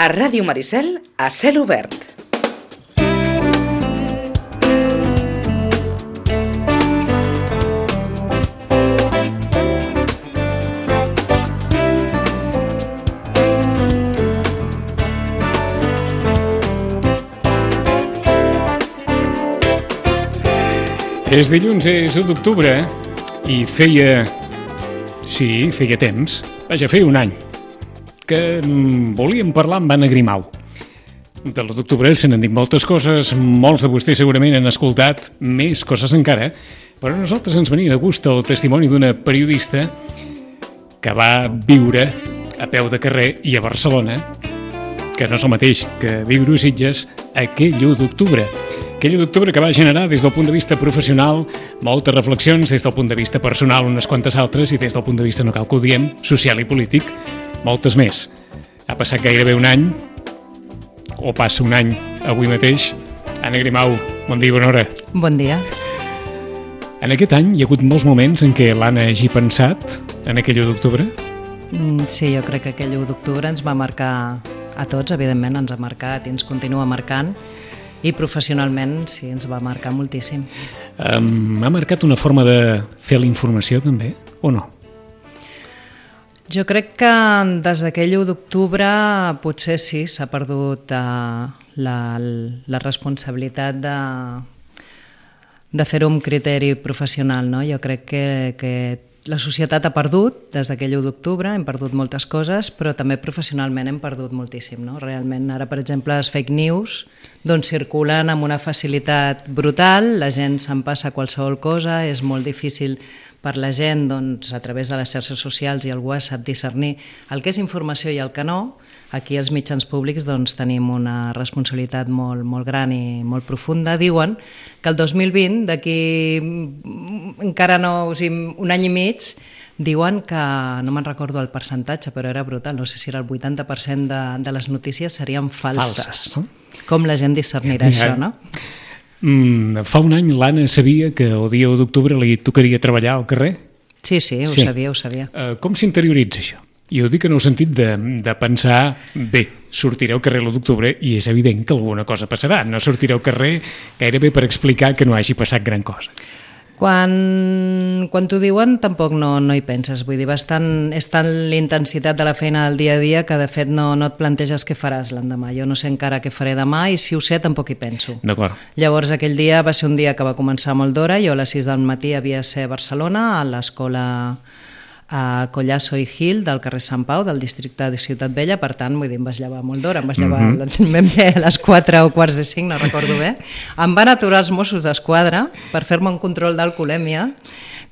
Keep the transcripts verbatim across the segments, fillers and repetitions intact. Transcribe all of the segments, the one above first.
A Ràdio Maricel, a cel obert. És dilluns, és u d'octubre, i feia... sí, feia temps, vaja, feia un any, que volíem parlar amb Anna Grimau. De l'u d'octubre se n'han dit moltes coses, molts de vostès segurament han escoltat més coses encara, però a nosaltres ens venia de gust el testimoni d'una periodista que va viure a peu de carrer i a Barcelona, que no és el mateix que viure a Sitges aquell u d'octubre. Aquell u d'octubre que va generar des del punt de vista professional moltes reflexions, des del punt de vista personal unes quantes altres i des del punt de vista, no cal que ho diem, social i polític, moltes més. Ha passat gairebé un any, o passa un any avui mateix. Anna Grimau, bon dia i bona hora. Bon dia. En aquest any hi ha hagut molts moments en què l'Anna hagi pensat en aquell u d'octubre? Sí, jo crec que aquell u d'octubre ens va marcar a tots, evidentment ens ha marcat i ens continua marcant, i professionalment sí, ens va marcar moltíssim. Um, ha marcat una forma de fer la informació també, o no? Jo crec que des d'aquell u d'octubre potser sí, s'ha perdut uh, la, la responsabilitat de, de fer-ho amb criteri professional, no? Jo crec que, que la societat ha perdut, des d'aquell u d'octubre, hem perdut moltes coses, però també professionalment hem perdut moltíssim, no? Realment, ara, per exemple, les fake news doncs, circulen amb una facilitat brutal, la gent se'n passa qualsevol cosa, és molt difícil per la gent, doncs, a través de les xarxes socials i el WhatsApp, discernir el que és informació i el que no. Aquí els mitjans públics doncs, tenim una responsabilitat molt, molt gran i molt profunda. Diuen que el dos mil vint, d'aquí encara no, o sigui, un any i mig, diuen que, no me'n recordo el percentatge, però era brutal, no sé si era el vuitanta per cent de, de les notícies serien falses. Falses, no? Com la gent discernirà ja, això, no? Mm, fa un any l'Anna sabia que el dia u d'octubre li tocaria treballar al carrer? Sí, sí, ho sí. sabia, ho sabia. Uh, com s'interioritza això? I ho dic en el sentit de, de pensar, bé, sortiré al carrer l'u d'octubre i és evident que alguna cosa passarà. No sortiré al carrer gairebé per explicar que no hagi passat gran cosa. Quan, quan t'ho diuen tampoc no, no hi penses, vull dir, bastant, és tant l'intensitat de la feina del dia a dia que de fet no, no et planteges què faràs l'endemà. Jo no sé encara què faré demà i si ho sé tampoc hi penso. D'acord. Llavors aquell dia va ser un dia que va començar molt d'hora, jo a les sis del matí havia de ser a Barcelona, a l'escola a Collasso i Gil del carrer Sant Pau del districte de Ciutat Vella, per tant, vull dir, em vaig llevar molt d'hora, em vaig llevar mm-hmm. ben bé a les quatre o quarts de cinc, no recordo bé. Em van aturar els Mossos d'Esquadra per fer-me un control d'alcoholèmia,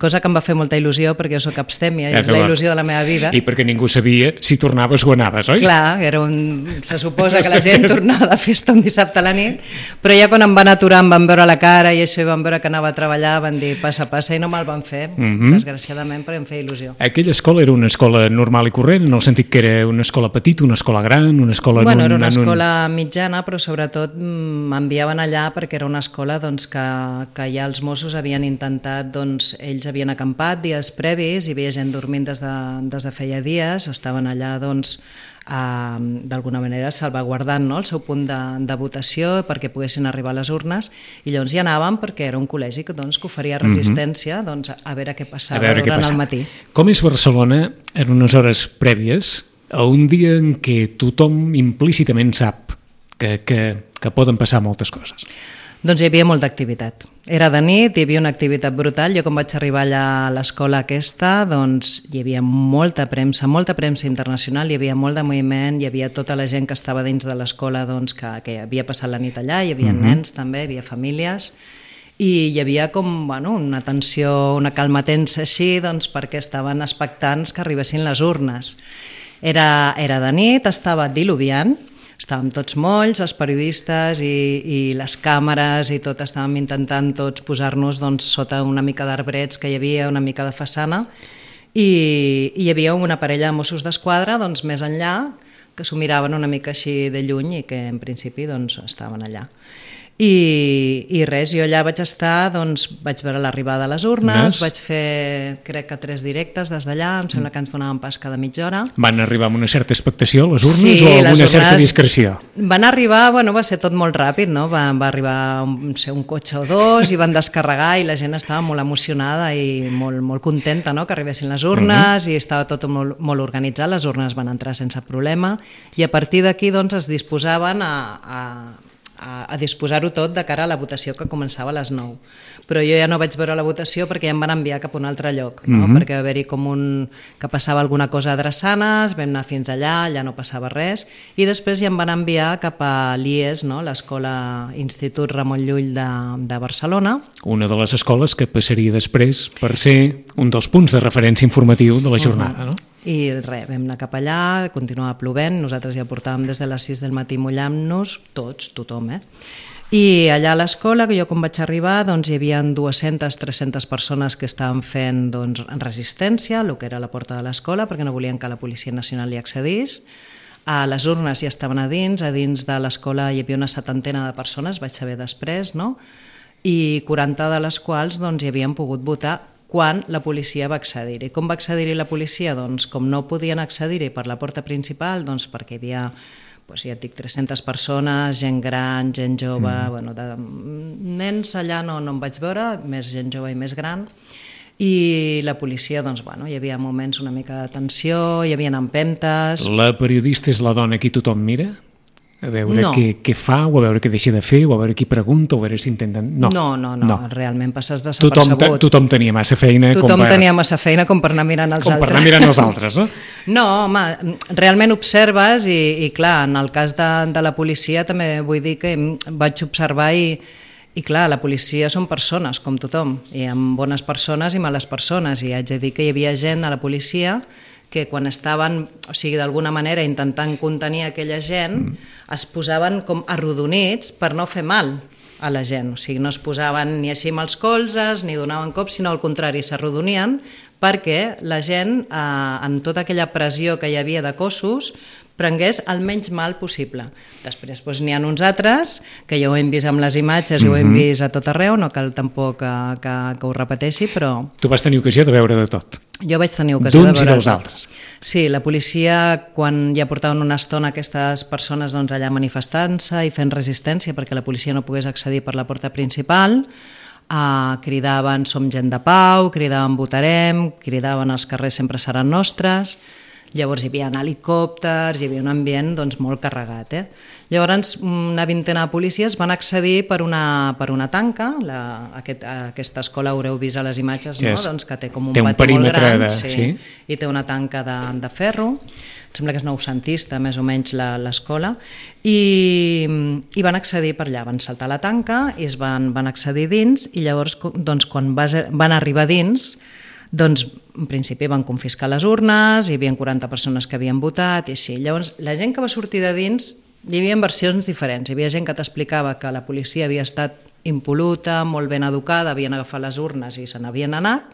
cosa que em va fer molta il·lusió perquè jo soc abstèmia i és la il·lusió de la meva vida. I perquè ningú sabia si tornaves o anaves, oi? Clar, era un... se suposa que la gent tornava de festa un dissabte a la nit, però ja quan em van aturar em van veure la cara i això i van veure que anava a treballar, van dir passa, passa, i no me'l van fer, mm-hmm. desgraciadament, perquè em feia il·lusió. Aquella escola era una escola normal i corrent, en el sentit que era una escola petita, una escola gran, una escola... Bueno, era una un... escola mitjana, però sobretot m'enviaven allà perquè era una escola doncs, que, que ja els Mossos havien intentat, doncs, ells havien acampat dies previs, hi havia gent dormint des de, des de feia dies, estaven allà doncs, eh, d'alguna manera salvaguardant, no?, el seu punt de, de votació perquè poguessin arribar a les urnes, i llavors hi anàvem perquè era un col·legi que, doncs, que oferia resistència mm-hmm. doncs, a veure què passava veure durant què passava. El matí. Com és Barcelona en unes hores prèvies a un dia en què tothom implícitament sap que, que, que poden passar moltes coses? Doncs hi havia molta activitat. Era de nit, hi havia una activitat brutal. Jo quan vaig arribar allà a l'escola aquesta, doncs hi havia molta premsa, molta premsa internacional, hi havia molt de moviment, hi havia tota la gent que estava dins de l'escola doncs, que, que havia passat la nit allà, hi havia mm-hmm. nens també, hi havia famílies, i hi havia com bueno, una tensió, una calma tensa així, doncs, perquè estaven expectants que arribessin les urnes. Era, era de nit, estava diluviant, estàvem tots molls, els periodistes i, i les càmeres i tot, estàvem intentant tots posar-nos doncs, sota una mica d'arbrets que hi havia, una mica de façana, i, i hi havia una parella de Mossos d'Esquadra doncs, més enllà, que s'ho miraven una mica així de lluny i que en principi doncs, estaven allà. I, i res, jo allà vaig estar, doncs vaig veure l'arribada a les urnes, Nes. vaig fer, crec que tres directes des d'allà, em sembla que ens donaven pas cada mitja hora. Van arribar amb una certa expectació les urnes Sí, o alguna les urnes certa discreció? Van arribar, bueno, va ser tot molt ràpid, no? Va, va arribar un, sé, un cotxe o dos i van descarregar i la gent estava molt emocionada i molt, molt contenta, no?, que arribessin les urnes, uh-huh. i estava tot molt, molt organitzat, les urnes van entrar sense problema i a partir d'aquí doncs es disposaven a, a a, a disposar-ho tot de cara a la votació que començava a les nou. Però jo ja no vaig veure la votació perquè ja em van enviar cap a un altre lloc, no? Mm-hmm. Perquè va haver-hi com un... que passava alguna cosa a Drassanes, vam anar fins allà, allà no passava res, i després ja em van enviar cap a l'I E S, no? l'Escola Institut Ramon Llull de, de Barcelona. Una de les escoles que passaria després per ser un dels punts de referència informatiu de la jornada, uh-huh. no? I res, vam anar cap allà, continuava plovent, nosaltres ja portàvem des de les sis del matí mullant-nos, tots, tothom, eh? I allà a l'escola, que jo quan vaig arribar, doncs hi havia dues-centes a tres-centes persones que estaven fent doncs, resistència, el que era la porta de l'escola, perquè no volien que la Policia Nacional hi accedís. A les urnes ja estaven a dins, a dins de l'escola hi havia una setantena de persones, vaig saber després, no? I quaranta de les quals doncs, hi havien pogut votar quan la policia va accedir-hi. Com va accedir-hi la policia? Doncs com no podien accedir-hi per la porta principal, doncs perquè hi havia, doncs ja et dic, tres-centes persones, gent gran, gent jove, mm. bueno, de, nens allà no, no em vaig veure, més gent jove i més gran, i la policia, doncs, bueno, hi havia moments una mica de tensió, hi havia empentes... La periodista és la dona que tothom mira? A veure no. què, què fa, o a veure què deixa de fer, o a veure qui pregunta, o a veure si intenten... No, no, no, no. no. realment passes desapercebut. Tothom, tothom tenia massa feina... Tothom com per... tenia massa feina com per anar mirant els com altres. Com per anar mirant els altres, no? No, home, realment observes i, i clar, en el cas de, de la policia també vull dir que vaig observar i, i clar, la policia són persones, com tothom, i amb bones persones i males persones, i haig de dir que hi havia gent a la policia que quan estaven, o sigui, d'alguna manera intentant contenir aquella gent, mm. es posaven com arrodonits per no fer mal a la gent. O sigui, no es posaven ni així amb els colzes, ni donaven cops, sinó al contrari, s'arrodonien perquè la gent, eh, en tota aquella pressió que hi havia de cossos, prengués el menys mal possible. Després doncs, n'hi ha uns altres, que ja ho hem vist amb les imatges i mm-hmm. ho hem vist a tot arreu, no cal tampoc que, que, que ho repeteixi, però... Tu vas tenir ocasió de veure de tot. Jo vaig tenir ocasió de veure... D'uns i dels altres. Sí, la policia, quan ja portaven una estona aquestes persones doncs, allà manifestant-se i fent resistència perquè la policia no pogués accedir per la porta principal, eh, cridaven som gent de pau, cridaven votarem, cridaven els carrers sempre seran nostres... Llavors hi havia helicòpters, hi havia un ambient doncs, molt carregat. Eh? Llavors una vintena de policies van accedir per una, per una tanca, la, aquest, aquesta escola haureu vist a les imatges, no? Yes. Doncs que té com un té un pati molt gran, de... sí, sí. i té una tanca de, de ferro, em sembla que és noucentista més o menys l'escola, i, i van accedir per allà, van saltar la tanca i es van, van accedir dins i llavors doncs, quan vas, van arribar dins, doncs en principi van confiscar les urnes, hi havia quaranta persones que havien votat i així. Llavors la gent que va sortir de dins, hi havia versions diferents. Hi havia gent que t'explicava que la policia havia estat impol·luta, molt ben educada, havien agafat les urnes i se n'havien anat.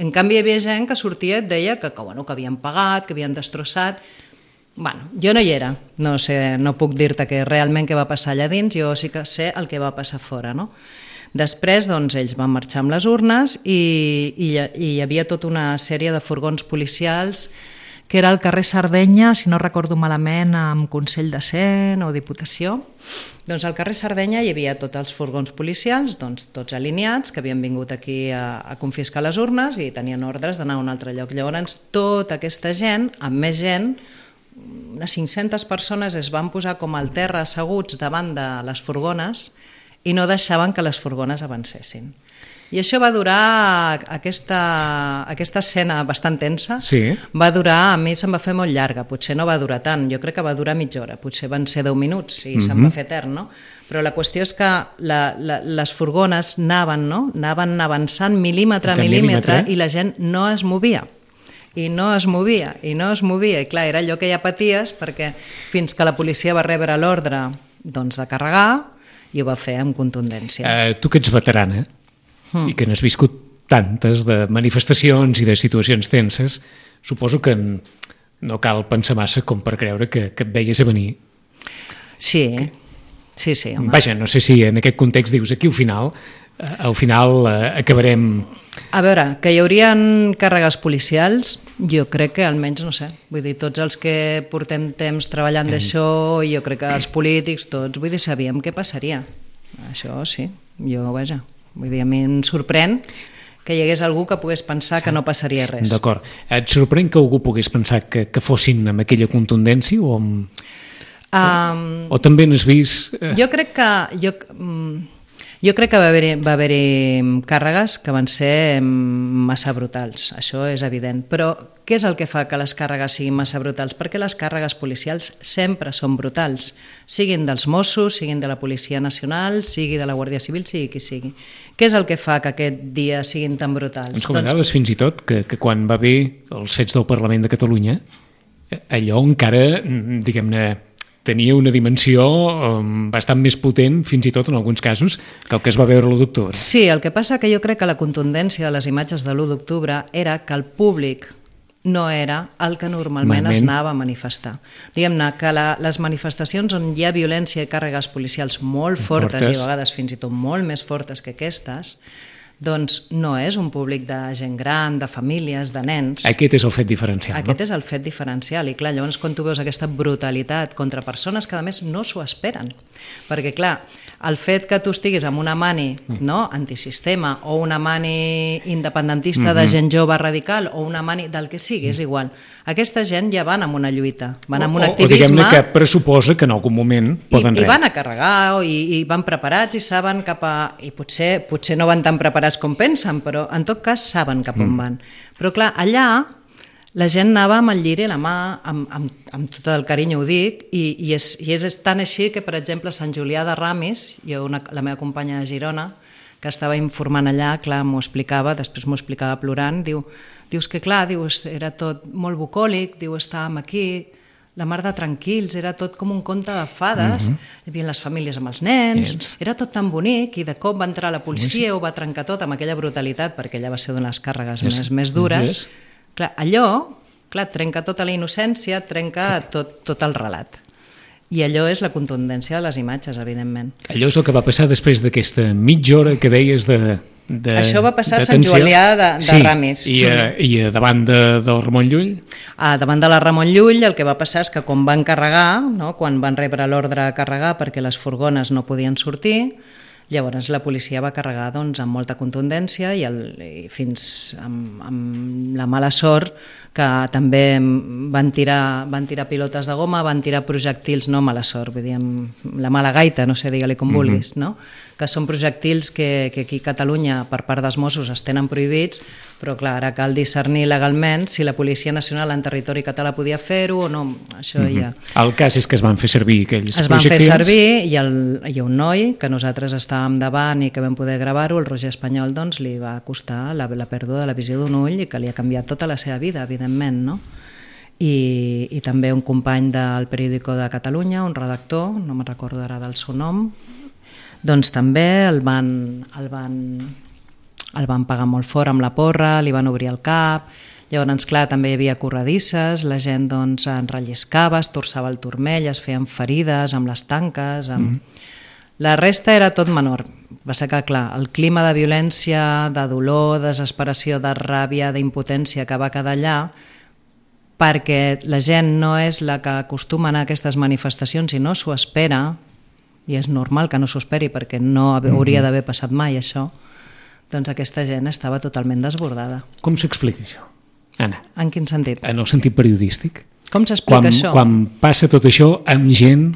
En canvi hi havia gent que sortia i et deia que, que, bueno, que havien pagat, que havien destrossat. Bueno, jo no hi era, no sé, no puc dir-te que realment què va passar allà dins, jo sí que sé el que va passar fora, no? Després, doncs, ells van marxar amb les urnes i, i, i hi havia tota una sèrie de furgons policials que era al carrer Sardenya, si no recordo malament, amb Consell de Cent o Diputació. Doncs al carrer Sardenya hi havia tots els furgons policials, doncs, tots alineats, que havien vingut aquí a, a confiscar les urnes i tenien ordres d'anar a un altre lloc. Llavors, tota aquesta gent, amb més gent, unes cinc-centes persones es van posar com al terra asseguts davant de les furgones i no deixaven que les furgones avancessin. I això va durar, aquesta, aquesta escena bastant tensa, sí. va durar, a mi se'm va fer molt llarga, potser no va durar tant, jo crec que va durar mitja hora, potser van ser deu minuts i mm-hmm. se'm va fer etern, no? Però la qüestió és que la, la, les furgones anaven, no? anaven avançant mil·límetre a mil·límetre i la gent no es movia. I no es movia, i no es movia, i clar, era allò que ja paties, perquè fins que la policia va rebre l'ordre doncs, de carregar, i ho va fer amb contundència. Uh, tu que ets veterana mm. i que n'has viscut tantes de manifestacions i de situacions tenses, suposo que no cal pensar massa com per creure que, que et veies a venir. Sí, Sí, sí, home. Vaja, no sé si en aquest context dius aquí al final, eh, al final eh, acabarem... A veure, que hi haurien càrregues policials, jo crec que almenys, no sé, vull dir, tots els que portem temps treballant d'això, jo crec que els polítics, tots, vull dir, sabíem què passaria. Això sí, jo, vaja, vull dir, a mi em sorprèn que hi hagués algú que pogués pensar que no passaria res. D'acord. Et sorprèn que algú pogués pensar que, que fossin amb aquella contundència o amb... Um, o, o també n'has vist... Eh... Jo crec que... Jo, jo crec que va haver-hi va haver càrregues que van ser massa brutals, això és evident. Però què és el que fa que les càrregues siguin massa brutals? Perquè les càrregues policials sempre són brutals, siguin dels Mossos, siguin de la Policia Nacional, sigui de la Guàrdia Civil, sigui qui sigui. Què és el que fa que aquest dia siguin tan brutals? Ens comentaves doncs... fins i tot que, que quan va haver els fets del Parlament de Catalunya, allò encara, diguem-ne, tenia una dimensió um, bastant més potent, fins i tot en alguns casos, que el que es va veure l'u d'octubre. Sí, el que passa que jo crec que la contundència de les imatges de l'u d'octubre era que el públic no era el que normalment Malment. es anava a manifestar. Diguem-ne que la, les manifestacions on hi ha violència i càrregues policials molt fortes, fortes i a vegades fins i tot molt més fortes que aquestes, doncs no és un públic de gent gran, de famílies, de nens. Aquest és el fet diferencial, Aquest no? és el fet diferencial. I clar, llavors quan tu veus aquesta brutalitat contra persones que a més no s'ho esperen, perquè clar, el fet que tu estiguis amb una mani no, antisistema o una mani independentista de gent jove radical o una mani del que sigui, és igual. Aquesta gent ja van amb una lluita, van amb un o, activisme... O diguem-ne que pressuposa que en algun moment poden i, res. I van a carregar i, i van preparats i saben cap a... I potser, potser no van tan preparats com pensen, però en tot cas saben cap on van. Però clar, allà la gent anava amb el lliri a la mà, amb, amb, amb tot el carinyo ho dic, i, i, és, i és tan així que, per exemple, a Sant Julià de Ramis, jo, una, la meva companya de Girona, que estava informant allà, clar, m'ho explicava, després m'ho explicava plorant, diu, dius que clar, diu, era tot molt bucòlic, diu, estàvem aquí, la mar de tranquils, era tot com un conte de fades, uh -huh. hi havia les famílies amb els nens, yes. era tot tan bonic, i de cop va entrar la policia, yes. ho va trencar tot amb aquella brutalitat, perquè ella va ser una de les càrregues yes. més, més dures. Yes. Clar, allò, clar, trenca tota la innocència, trenca tot, tot el relat. I allò és la contundència de les imatges, evidentment. Allò és el que va passar després d'aquesta mitja hora que deies de... De, Això va passar a Sant Julià de, de sí, Ramis. I, a, i a davant de, del Ramon Llull? A davant de la Ramon Llull el que va passar és que quan van carregar, no, quan van rebre l'ordre a carregar perquè les furgones no podien sortir, llavors la policia va carregar doncs, amb molta contundència i, el, i fins amb, amb la mala sort que també van tirar, van tirar pilotes de goma, van tirar projectils, no mala sort, vull dir, la mala gaita, no sé, digue-li com mm-hmm. vulguis, no? Que són projectils que, que aquí a Catalunya per part dels Mossos es tenen prohibits, però clar, ara cal discernir legalment si la Policia Nacional en territori català podia fer-ho o no, això mm-hmm. ja... El cas és que es van fer servir aquells es projectils. Es van fer servir i el, hi ha un noi que nosaltres estàvem davant i que vam poder gravar-ho, el Roger Espanyol, doncs li va costar la, la pèrdua de la visió d'un ull i que li ha canviat tota la seva vida, evidentment, no? I, i també un company del Periódico de Catalunya, un redactor, no me'n recordo ara del seu nom, doncs també el van, el van, el van pagar molt fort amb la porra, li van obrir el cap, llavors, clar, també hi havia corredisses, la gent doncs enrelliscava, es torçava el turmell, es feien ferides amb les tanques, amb... Mm. La resta era tot menor. Va ser que, clar, el clima de violència, de dolor, desesperació, de ràbia, d'impotència que va quedar allà, perquè la gent no és la que acostuma a anar a aquestes manifestacions i no s'ho espera, i és normal que no s'ho esperi perquè no hauria d'haver passat mai això, doncs aquesta gent estava totalment desbordada. Com s'explica això, Anna? En quin sentit? En el sentit periodístic. Com s'explica això? Quan passa tot això amb gent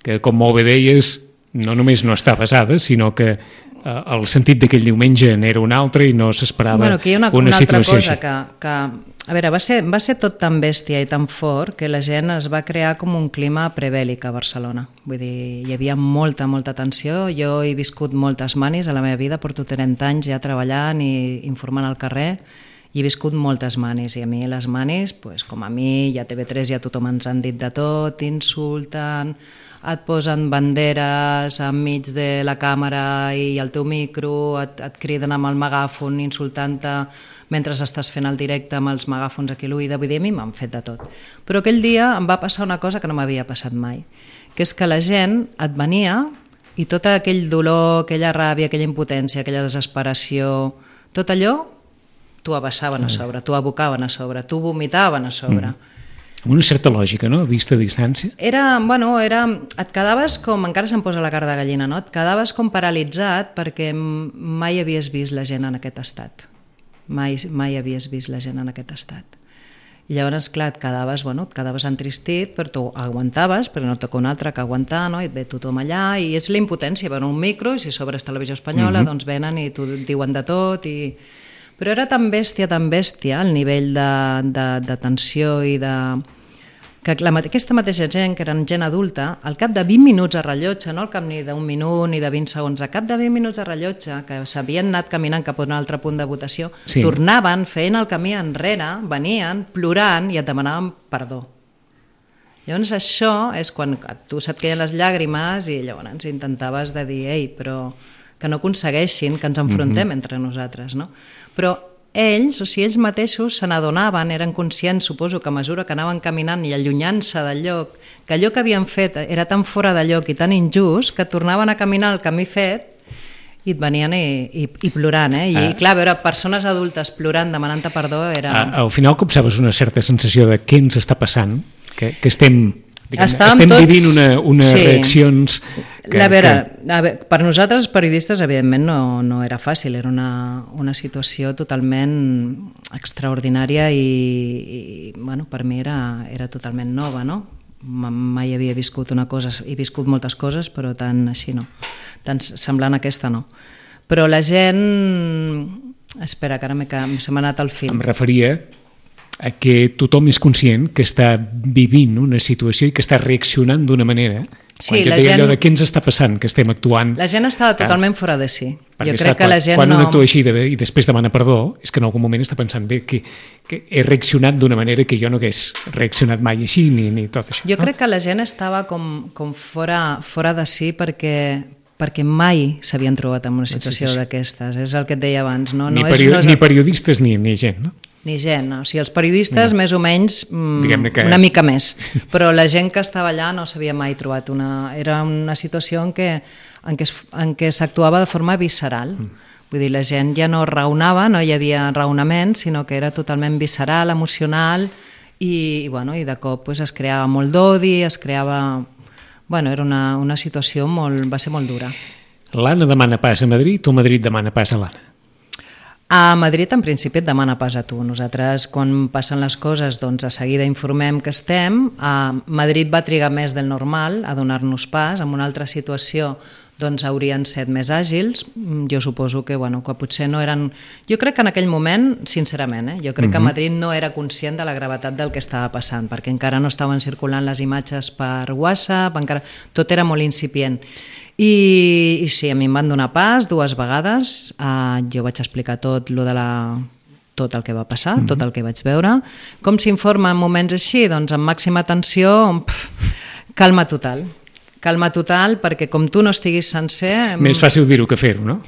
que, com molt bé deies, no només no està basada, sinó que eh, el sentit d'aquell diumenge n'era un altre i no s'esperava bueno, una, una, una situació altra cosa així. Que, que, a veure, va ser, va ser tot tan bèstia i tan fort que la gent es va crear com un clima prebèl·lic a Barcelona. Vull dir, hi havia molta, molta tensió. Jo he viscut moltes manis a la meva vida, porto trenta anys ja treballant i informant al carrer, i he viscut moltes manis, i a mi les manis, pues, com a mi, i a T V tres ja tothom ens han dit de tot, insulten, et posen banderes enmig de la càmera i el teu micro, et, et criden amb el megàfon insultant-te mentre estàs fent el directe amb els megàfons aquí a l'oïda, vull dir, a mi m'han fet de tot. Però aquell dia em va passar una cosa que no m'havia passat mai, que és que la gent et venia I tot aquell dolor, aquella ràbia, aquella impotència, aquella desesperació, tot allò t'ho abassaven a sobre, t'ho abocaven a sobre, t'ho vomitaven a sobre. Mm. Amb una certa lògica, no?, a vista de distància. Era, bueno, era, et quedaves com, encara se'm posa la cara de gallina, no? Et quedaves com paralitzat perquè mai havies vist la gent en aquest estat. Mai, mai havies vist la gent en aquest estat. I llavors, clar, et quedaves, bueno, et quedaves entristit, però tu aguantaves, perquè no et toca un altre que aguantar, no? I et ve tothom allà, i és la impotència, veuen un micro, i si sobre és televisió espanyola, mm-hmm. doncs venen i t'ho diuen de tot, i... Però era tan bèstia, tan bèstia, el nivell de, de, de tensió i de... que la, aquesta mateixa gent, que eren gent adulta, al cap de vint minuts a rellotge, no al cap ni d'un minut ni de vint segons, al cap de vint minuts a rellotge, que s'havien anat caminant cap a un altre punt de votació, sí. tornaven, feien el camí enrere, venien, plorant i et demanaven perdó. Llavors això és quan a tu se't queien les llàgrimes i llavors intentaves de dir, ei, però que no aconsegueixin que ens enfrontem mm-hmm. entre nosaltres, no? Però ells, o sigui, ells mateixos se n'adonaven, eren conscients, suposo, que a mesura que anaven caminant i allunyant-se del lloc, que allò que havien fet era tan fora de lloc i tan injust que tornaven a caminar el camí fet i et venien i, i, i plorant, eh? I ah. clar, veure persones adultes plorant, demanant-te perdó, era... Ah, al final copsaves una certa sensació de què ens està passant, que, que estem... Diguem, estem tots... vivint una, unes sí. reaccions... Que, la vera, que... a veure, per nosaltres, els periodistes, evidentment, no, no era fàcil, era una, una situació totalment extraordinària i, i bueno, per mi era, era totalment nova, no? Mai havia viscut una cosa, he viscut moltes coses, però tant així no, tan semblant a aquesta no. Però la gent... Espera, que ara se m'ha anat el fil. Em referia a que tothom és conscient que està vivint una situació i que està reaccionant d'una manera. Sí, quan jo la deia gent... allò de què ens està passant, que estem actuant... La gent estava totalment fora de si. Perquè jo crec que quan, la gent quan no... un actua així de, i després demana perdó, és que en algun moment està pensant bé que, que he reaccionat d'una manera que jo no hagués reaccionat mai així, ni, ni tot això. Jo no? crec que la gent estava com, com fora, fora de si perquè... perquè mai s'havien trobat en una situació sí, sí, sí. d'aquestes. És el que et deia abans. No? Ni, no perio... és, no és... ni periodistes ni, ni gent, no? Ni gent, no. O sigui, els periodistes no. més o menys mm, que... una mica més, però la gent que estava allà no s'havia mai trobat una... Era una situació en què, en què, es, en què s'actuava de forma visceral. Mm. Vull dir, la gent ja no raonava, no hi havia raonament, sinó que era totalment visceral, emocional, i, i, bueno, i de cop pues, es creava molt d'odi, es creava... Bueno, era una, una situació molt... va ser molt dura. L'Anna demana pas a Madrid o Madrid demana pas a l'Anna? A Madrid, en principi, et demana pas a tu. Nosaltres, quan passen les coses, doncs, de seguida informem que estem. A Madrid va trigar més del normal a donar-nos pas. En una altra situació doncs, haurien set més àgils. Jo suposo que, bueno, que potser no eren... Jo crec que en aquell moment, sincerament, eh, jo crec uh-huh. que Madrid no era conscient de la gravetat del que estava passant, perquè encara no estaven circulant les imatges per WhatsApp, encara... tot era molt incipient. I, i sí, a mi em van donar pas dues vegades, uh, jo vaig explicar tot lo de la, tot el que va passar, mm-hmm. tot el que vaig veure. Com s'informa en moments així? Doncs amb màxima atenció, pff, calma total. Calma total, perquè com tu no estiguis sencer... Més fàcil dir-ho que fer-ho, no?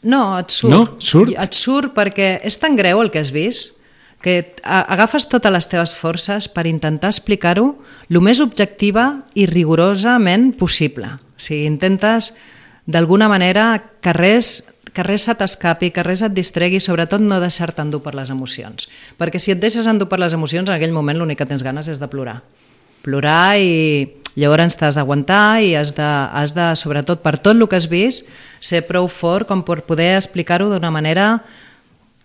No, et surt. No? Surt? Et surt perquè és tan greu el que has vist que agafes totes les teves forces per intentar explicar-ho el més objectiva i rigorosament possible. O sigui, intentes d'alguna manera que res, que res se t'escapi, que res et distregui, sobretot no deixar-te endur per les emocions. Perquè si et deixes endur per les emocions, en aquell moment l'únic que tens ganes és de plorar. Plorar i llavors t'has d'aguantar i has de, has de, sobretot per tot el que has vist, ser prou fort com per poder explicar-ho d'una manera...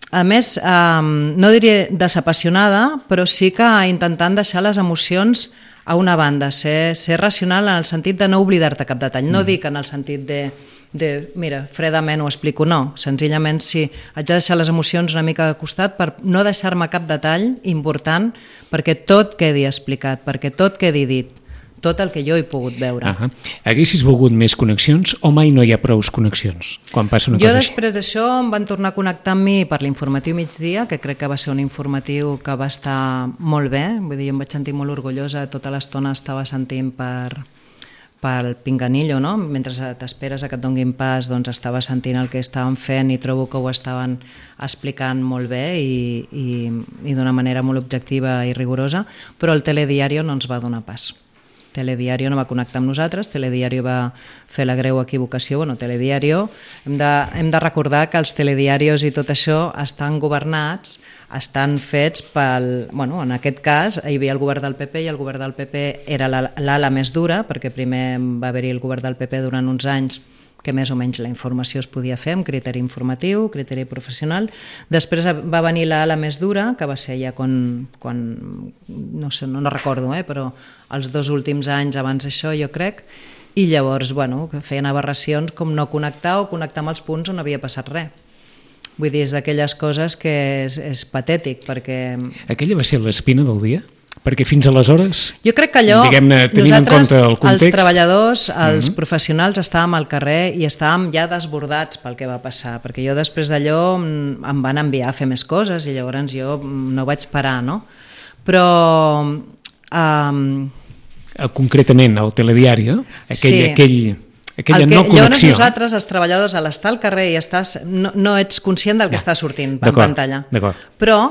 A més, eh, no diria desapassionada, però sí que intentant deixar les emocions a una banda, ser, ser racional en el sentit de no oblidar-te cap detall. No mm. dic en el sentit de, de, mira, fredament ho explico, no. Senzillament sí, haig de deixar les emocions una mica de costat per no deixar-me cap detall important perquè tot quedi explicat, perquè tot quedi dit. Tot el que jo he pogut veure. Uh-huh. Haguessis volgut més connexions o mai no hi ha prous connexions quan passa una jo cosa així? Jo després d'això em van tornar a connectar amb mi per l'informatiu migdia, que crec que va ser un informatiu que va estar molt bé, vull dir, jo em vaig sentir molt orgullosa, tota l'estona estava sentint per, pel pinganillo, no? Mentre t'esperes a que et donguin pas, doncs estava sentint el que estaven fent i trobo que ho estaven explicant molt bé i, i, i d'una manera molt objectiva i rigorosa, però el telediario no ens va donar pas. Telediario no va connectar amb nosaltres, Telediario va fer la greu equivocació. Bueno, Telediario, hem de, hem de recordar que els telediarios i tot això estan governats, estan fets pel... Bueno, en aquest cas hi havia el govern del P P i el govern del P P era l'ala més dura, perquè primer va haver-hi el govern del P P durant uns anys que més o menys la informació es podia fer amb criteri informatiu, criteri professional. Després va venir l'ala més dura, que va ser ja quan, quan no sé, no, no recordo, eh, però els dos últims anys abans d'això, jo crec, i llavors, bueno, que feien aberracions com no connectar o connectar amb els punts on havia passat res. Vull dir, és d'aquelles coses que és, és patètic, perquè... Aquella va ser l'espina del dia? Perquè fins aleshores, jo crec que allò, diguem-ne, tenint en compte el context... Els treballadors, els mm-hmm. professionals estàvem al carrer i estàvem ja desbordats pel que va passar, perquè jo després d'allò em van enviar a fer més coses i llavors jo no vaig parar, no? Però... Um... Concretament, el telediari, aquell... Sí. aquell... aquella que, no connexió. Llavors nosaltres, els treballadors, a l'estar al carrer i estàs, no, no ets conscient del que ja. està sortint en pantalla. Però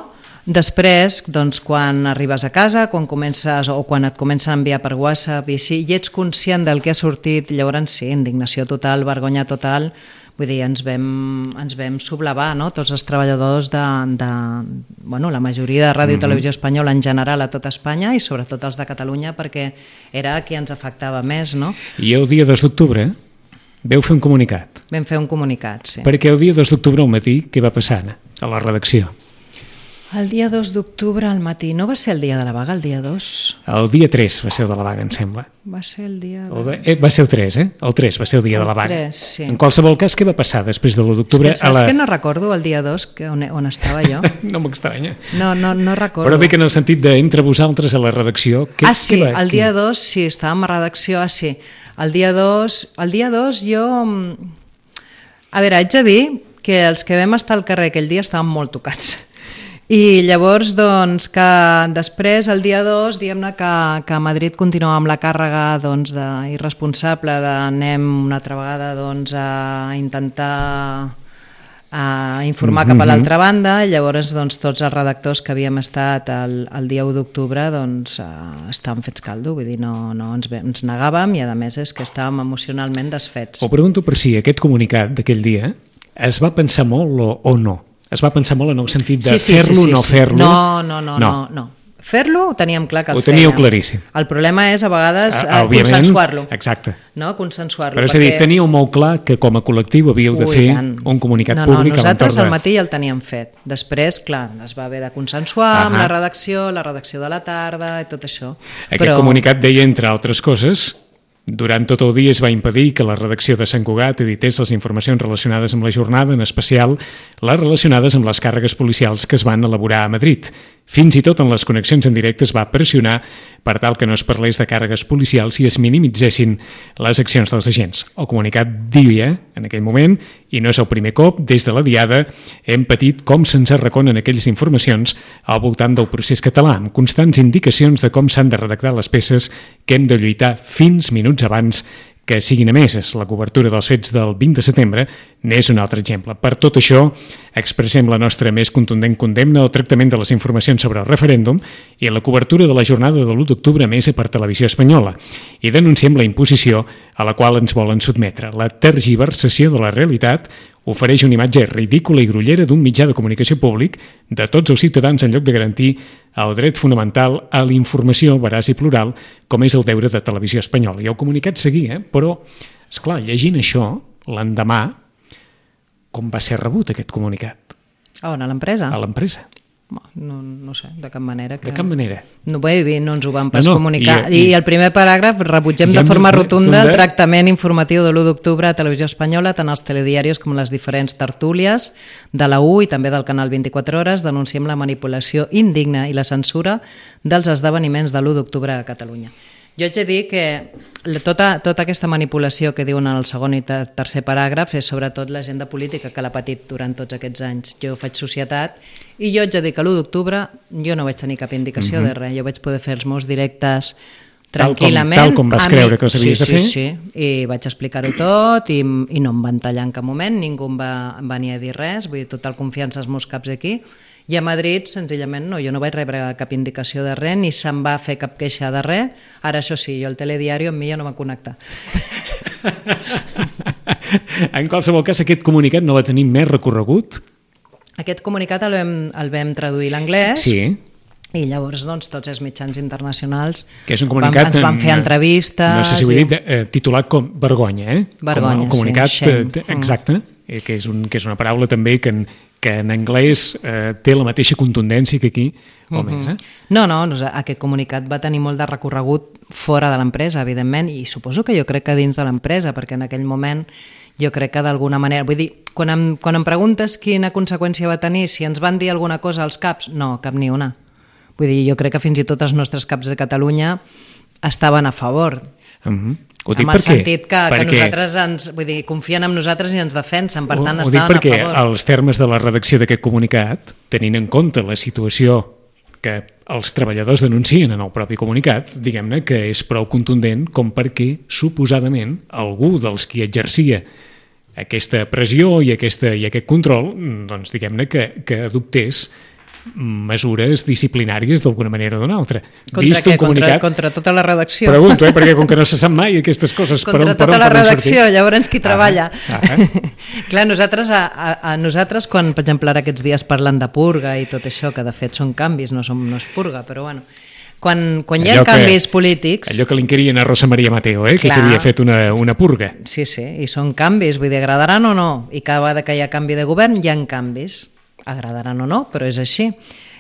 després, doncs, quan arribes a casa, quan comences o quan et comencen a enviar per WhatsApp i si i ets conscient del que ha sortit, llavors sí, indignació total, vergonya total, vull dir, ens vam, ens vam sublevar, no? Tots els treballadors de, de bueno, la majoria de Ràdio i Televisió Espanyola en general a tot Espanya i sobretot els de Catalunya perquè era qui ens afectava més, no? I el dia dos d'octubre veu fer un comunicat. Vam fer un comunicat, sí. Perquè el dia dos d'octubre al matí què va passar a la redacció? El dia dos d'octubre al matí, no va ser el dia de la vaga, el dia dos? El dia tres va ser el de la vaga, em sembla. Va ser el dia... De... De... Eh, va ser el tres, eh? El tres va ser el dia el de la vaga. tres, sí. En qualsevol cas, què va passar després de l'u d'octubre? És que, saps a la... que no recordo el dia dos que on, on estava jo? No m'estranya. No, no, no recordo. Però dic en el sentit d'entre vosaltres a la redacció... Què, ah, sí, què va? el dia dos, sí, estàvem a redacció, ah, sí. El dia dos, el dia dos jo... A veure, haig de dir que els que vam estar al carrer aquell dia estàvem molt tocats. I llavors, doncs, que després, el dia dos, diguem-ne que, que a Madrid continuava amb la càrrega doncs, de, irresponsable d'anem una altra vegada doncs, a intentar a informar cap a l'altra banda i llavors doncs, tots els redactors que havíem estat el, el dia u d'octubre doncs, uh, estàvem fets caldo, vull dir, no, no ens, ens negàvem i a més és que estàvem emocionalment desfets. Ho pregunto per si aquest comunicat d'aquell dia es va pensar molt o, o no? Es va pensar molt en el sentit de sí, sí, fer-lo o sí, sí, no sí. fer-lo? No, no, no, no. no, no. Fer-lo ho teníem clar que el fèiem. Ho teníeu fèiem. Claríssim. El problema és a vegades ah, consensuar-lo. Exacte. No? Consensuar-lo. Però és perquè... a dir, teníeu molt clar que com a col·lectiu havíeu de Ui, fer tant. un comunicat no, públic. No, nosaltres de... al matí ja el teníem fet. Després, clar, es va haver de consensuar uh-huh. amb la redacció, la redacció de la tarda i tot això. Aquest Però... comunicat deia, entre altres coses... Durant tot el dia es va impedir que la redacció de Sant Cugat edités les informacions relacionades amb la jornada, en especial les relacionades amb les càrregues policials que es van elaborar a Madrid. Fins i tot en les connexions en directe es va pressionar per tal que no es parlés de càrregues policials i es minimitzessin les accions dels agents. El comunicat diria, en aquell moment, i no és el primer cop, des de la Diada hem patit com se'ns arraconen aquelles informacions al voltant del procés català, amb constants indicacions de com s'han de redactar les peces que hem de lluitar fins minuts abans que siguin emeses. La cobertura dels fets del vint de setembre n'és un altre exemple. Per tot això, expressem la nostra més contundent condemna al tractament de les informacions sobre el referèndum i la cobertura de la jornada de l'u d'octubre emesa per Televisió Espanyola i denunciem la imposició a la qual ens volen sotmetre. La tergiversació de la realitat ofereix una imatge ridícula i grollera d'un mitjà de comunicació públic de tots els ciutadans en lloc de garantir el dret fonamental a la informació veraç i plural, com és el deure de Televisió Espanyola. I el comunicat seguia, però, esclar, llegint això, l'endemà, com va ser rebut aquest comunicat? A on? A l'empresa? A l'empresa. No, no sé, de cap manera. Que... De cap manera. No, bé, bé, no ens ho van pas no, no, comunicar. I, I, I el primer paràgraf, rebutgem de forma rotunda el tractament informatiu de l'u d'octubre a Televisió Espanyola, tant als telediaris com les diferents tertúlies de la U i també del canal vint-i-quatre hores. Denunciem la manipulació indigna i la censura dels esdeveniments de l'u d'octubre a Catalunya. Jo haig de dir que tota, tota aquesta manipulació que diuen en el segon i tercer paràgraf és sobretot l'agenda política que l'ha patit durant tots aquests anys. Jo faig societat i jo haig de dir que l'u d'octubre jo no vaig tenir cap indicació mm-hmm. de res. Jo vaig poder fer els meus directes tranquil·lament. Tal com, tal com vas creure que els havies sí, de fer? Sí, sí, i vaig explicar-ho tot i, i no em van tallar en cap moment, ningú em va, em va ni a dir res, vull dir, total confiança als meus caps aquí. I a Madrid, senzillament, no, jo no vaig rebre cap indicació de res, ni se'm va fer cap queixa de res. Ara, això sí, jo el telediari amb mi ja no va connectar. En qualsevol cas, aquest comunicat no va tenir més recorregut? Aquest comunicat el vam, el vam traduir a l'anglès. Sí. I llavors, doncs, tots els mitjans internacionals que és un comunicat, van, ens van fer entrevistes. No sé si ho he dit, eh, titulat com Vergonya, eh? Vergonya, com el comunicat, sí, shame. Exacte, eh, que, és un, que és una paraula també que en, que en anglès eh, té la mateixa contundència que aquí, o més. Eh? No, no, aquest comunicat va tenir molt de recorregut fora de l'empresa, evidentment, i suposo que jo crec que dins de l'empresa, perquè en aquell moment jo crec que d'alguna manera... Vull dir, quan em, quan em preguntes quina conseqüència va tenir, si ens van dir alguna cosa als caps, no, cap ni una. Vull dir, jo crec que fins i tot els nostres caps de Catalunya estaven a favor. Uh-huh. Ho dic amb el perquè, sentit que, perquè, que nosaltres ens, vull dir, confien en nosaltres i ens defensen, per tant, ho, ho estaven a favor. Ho dic perquè els termes de la redacció d'aquest comunicat, tenint en compte la situació que els treballadors denuncien en el propi comunicat, diguem-ne que és prou contundent com perquè, suposadament, algú dels qui exercia aquesta pressió i, aquesta, i aquest control, doncs diguem-ne que, que adoptés mesures disciplinàries d'alguna manera o d'una altra. Contra Vist què? Comunicat, contra, contra tota la redacció? Pregunto, eh, perquè com que no se sap mai aquestes coses... Contra per on, tota per on la redacció, sortir. llavors qui treballa. Ah, ah. Clar, nosaltres, a, a, a nosaltres, quan, per exemple, ara aquests dies parlen de purga i tot això, que de fet són canvis, no, som, no és purga, però bueno... Quan, quan hi ha allò canvis que, polítics... Allò que li inquirien a Rosa Maria Mateo, eh, que s'havia fet una, una purga. Sí, sí, i són canvis, vull dir, agradaran o no, i cada vegada que hi ha canvi de govern hi ha canvis, agradaran o no, però és així.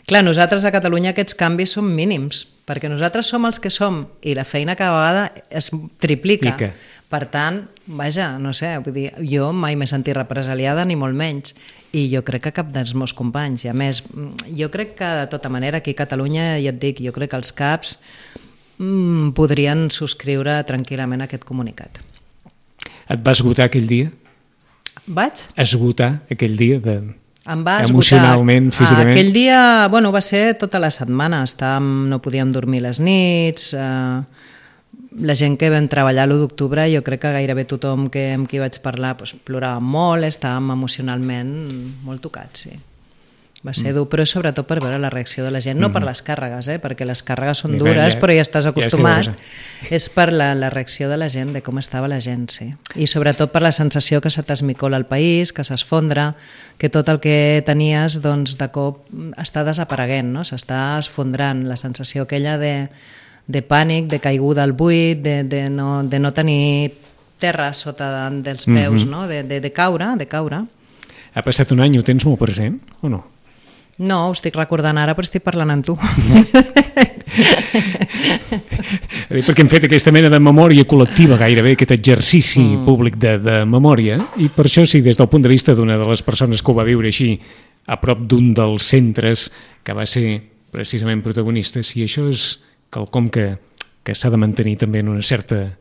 Clar, nosaltres a Catalunya aquests canvis són mínims, perquè nosaltres som els que som i la feina cada vegada es triplica. Pica. Per tant, vaja, no sé, vull dir, jo mai m'he sentit represaliada ni molt menys, i jo crec que cap dels meus companys. I a més, jo crec que de tota manera aquí a Catalunya, ja et dic, jo crec que els caps mmm, podrien subscriure tranquil·lament aquest comunicat. Et va esgotar aquell dia? Vaig? Esgotar aquell dia de... Em va esgotar. Emocionalment, físicament? Aquell dia, bueno, va ser tota la setmana. Estàvem, no podíem dormir les nits. Eh, la gent que vam treballar l'u d'octubre, jo crec que gairebé tothom que, amb qui vaig parlar doncs, plorava molt, estàvem emocionalment molt tocats, sí. Va ser dur, però sobretot per veure la reacció de la gent, no per les càrregues, eh, perquè les càrregues són dures, però ja estàs acostumat. És per la, la reacció de la gent, de com estava la gent, sí. I sobretot per la sensació que se t'esmicola el país, que s'esfondra, que tot el que tenies, doncs, de cop està desapareguent, no? S'està esfondrant, la sensació aquella de, de pànic, de caiguda al buit, de, de, no, de no tenir terra sota de, dels peus, mm-hmm. no? de, de, de caure, de caure. Ha passat un any, ho tens molt present, o no? No, ho estic recordant ara, però estic parlant amb tu. Perquè hem fet aquesta mena de memòria col·lectiva, gairebé, aquest exercici mm. públic de, de memòria, i per això sí, des del punt de vista d'una de les persones que ho va viure així, a prop d'un dels centres que va ser precisament protagonista, si això és quelcom que, que s'ha de mantenir també en una certa...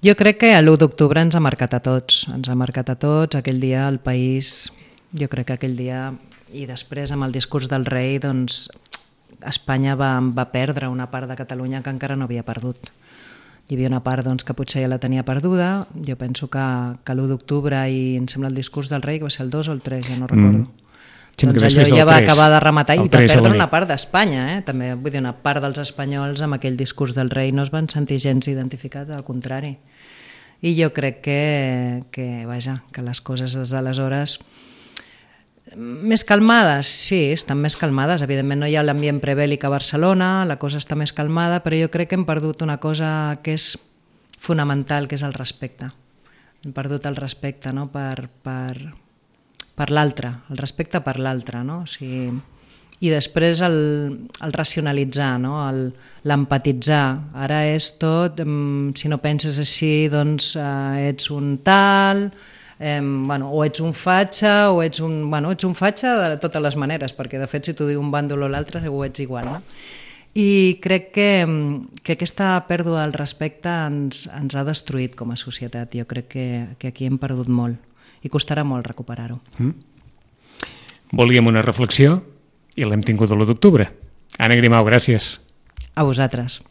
Jo crec que l'u d'octubre ens ha marcat a tots, ens ha marcat a tots, aquell dia el país, jo crec que aquell dia... I després, amb el discurs del rei, doncs, Espanya va, va perdre una part de Catalunya que encara no havia perdut. Hi havia una part doncs, que potser ja la tenia perduda. Jo penso que, que l'u d'octubre i em sembla el discurs del rei, que va ser el dos o el tres, ja no recordo. Mm. Sí, doncs allò ja va acabar de rematar i va perdre una part d'Espanya. Eh? També, vull dir, una part dels espanyols amb aquell discurs del rei no es van sentir gens identificats, al contrari. I jo crec que, que, vaja, que les coses des d'aleshores... Més calmades, sí, estan més calmades. Evidentment no hi ha l'ambient prebèl·lic a Barcelona, la cosa està més calmada, però jo crec que hem perdut una cosa que és fonamental, que és el respecte. Hem perdut el respecte, no? per, per, per l'altre, el respecte per l'altre, no? O sigui, i després el, el racionalitzar, no? L'empatitzar. Ara és tot, si no penses així, doncs eh, ets un tal... Eh, bueno, o ets un fatxa o ets un, bueno, ets un fatxa de totes les maneres, perquè de fet si t'ho diu un bàndol o l'altre ho ets igual, no? I crec que, que aquesta pèrdua del respecte ens, ens ha destruït com a societat. Jo crec que, que aquí hem perdut molt i costarà molt recuperar-ho. Mm. Volíem una reflexió i l'hem tingut l'u d'octubre. Anna Grimau, gràcies. A vosaltres.